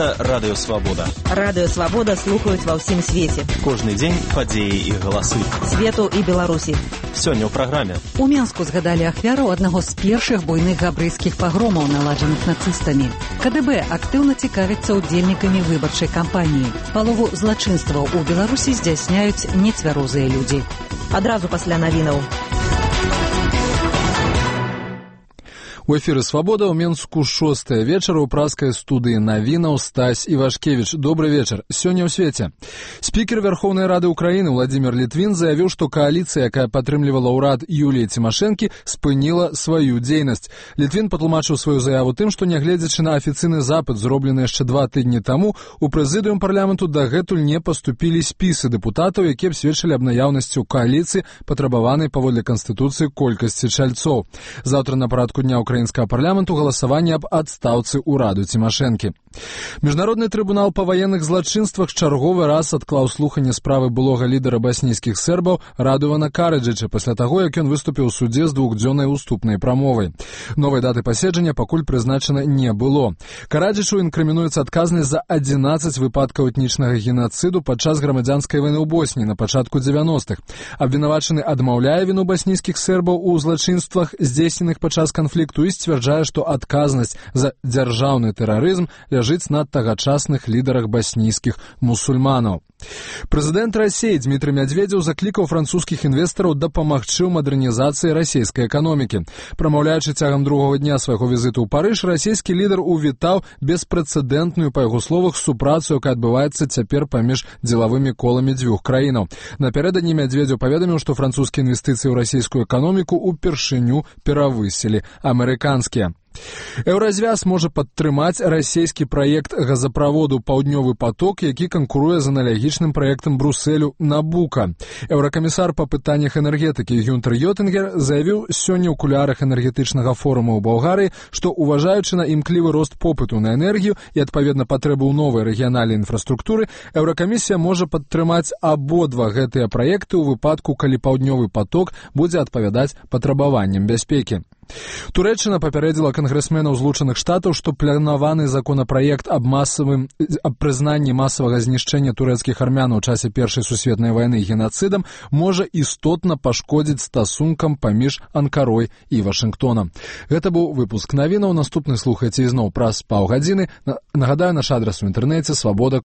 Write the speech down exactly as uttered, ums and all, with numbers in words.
Гэта Радыё Свабода. Радыё Свабода слухаюць ва ўсім свеце. Кожны дзень падзеі і галасы. Свету і Беларусі. Сёння ў праграме. У Менску згадалі ахвяру аднаго з першых буйных габрэйскіх пагромаў, наладжаных нацыстамі. КДБ актыўна цікавіцца удзельнікамі выбарчай кампаніі. Палову злачынстваў у Беларусі здзяйсняюць нецвярозыя людзі. Адразу пасля навінаў. У эфіры «Свабода» ў Менску шостая вечара ў праскай студыі навінаў Стась Івашкевіч. Добры вечар. Сёння ў свеце. Спікер Верховнай Рады Украіны Владзімір Літвін заявіў, што кааліцыя, якая падтрымлівала ўрад Юліі Цімашэнкі, спыніла сваю дзейнасць. Літвін патлумачыў сваю заяву тым, што нягледзячы на афіцыйны запыт, зроблены яшчэ два тыдні таму, у прэзідыум парламенту дагэтуль не паступілі спісы дэпутатаў, якія б сведчылі аб наяўнасці ў кааліцыі, патрабаванай паводле Канстытуцыі колькасці чальцоў. Заўтра на парадку дня украінскага парламенту галасаванне аб адстаўцы ўраду Цімашэнкі. Міжнародны трыбунал па ваенных злачынствах чарговы раз адклаў слуханне справы былога лідара баснійскіх сербаў Радувана Караджыча пасля таго, як ён выступіў у судзе з двухдзённай уступнай прамовай. Новай даты паседжання пакуль прызначана не было. Караджычу інкрымінуецца адказнасць за адзінаццаць выпадкаў этнічнага генацыду падчас грамадзянскай вайны ў Босніі на пачатку дзевяностых. Абвінавачаны адмаўляе віну баснійскіх сербаў у злачынствах, здзейсненых падчас канфлікту, і сцвярджае, што адказнасць за дзяржаўны тэрарызм ляжыць на тагачасных лідарах баснійскіх мусульманаў. Прэзідэнт Расіі Дмітрый Мядзведзеў заклікаў французскіх інвестараў дапамагчы ў мадэрнізацыі расійскай эканомікі. Прамаўляючы цягам другога дня свайго візіту ў Парыж, расійскі лідар увітаў беспрэцэдэнтную, па яго словах, супрацу, якая адбываецца цяпер паміж дзелавымі коламі дзвюх краінаў. Напярэдадні Мядзведзеў паведаміў, што французскія інвестыцыі ў расійскую эканоміку ўпершыню перавысілі амерыканскія. Еўразвяз можа падтрымаць расійскі праект газаправоду «Паўднёвы поток», які канкуруе з аналагічным праектам Брусэлю «Набука». Еўракамісар па пытаннях энергетыкі Гюнтер Йотынгер заявіў сёння ў кулярах энергетычнага форума ў Балгарыі, што, уважаючы на імклівы рост попыту на энергію і, адпаведна, патрэбу ў новай рэгіянальнай інфраструктуры, Еўракамісія можа падтрымаць абодва гэтыя праекты ў выпадку, калі «Паўднёвы поток» будзе адпавядаць патрабаванням бяспекі. Турэччына папярэдзіла кангрэсменаў Злучаных Штатаў, што планаваны законапраект аб масавым аб прызнанні масавага знішчэння турэцкіх армян у часе Першай сусветнай вайны генацыдам можа істотна пашкодзіць стасункам паміж Анкарой і Вашынгтонам. Гэта быў выпуск навінаў. Наступны слухайце ізноў праз паўгадзіны. Нагадаю, наш адрас у інтэрнэце свабода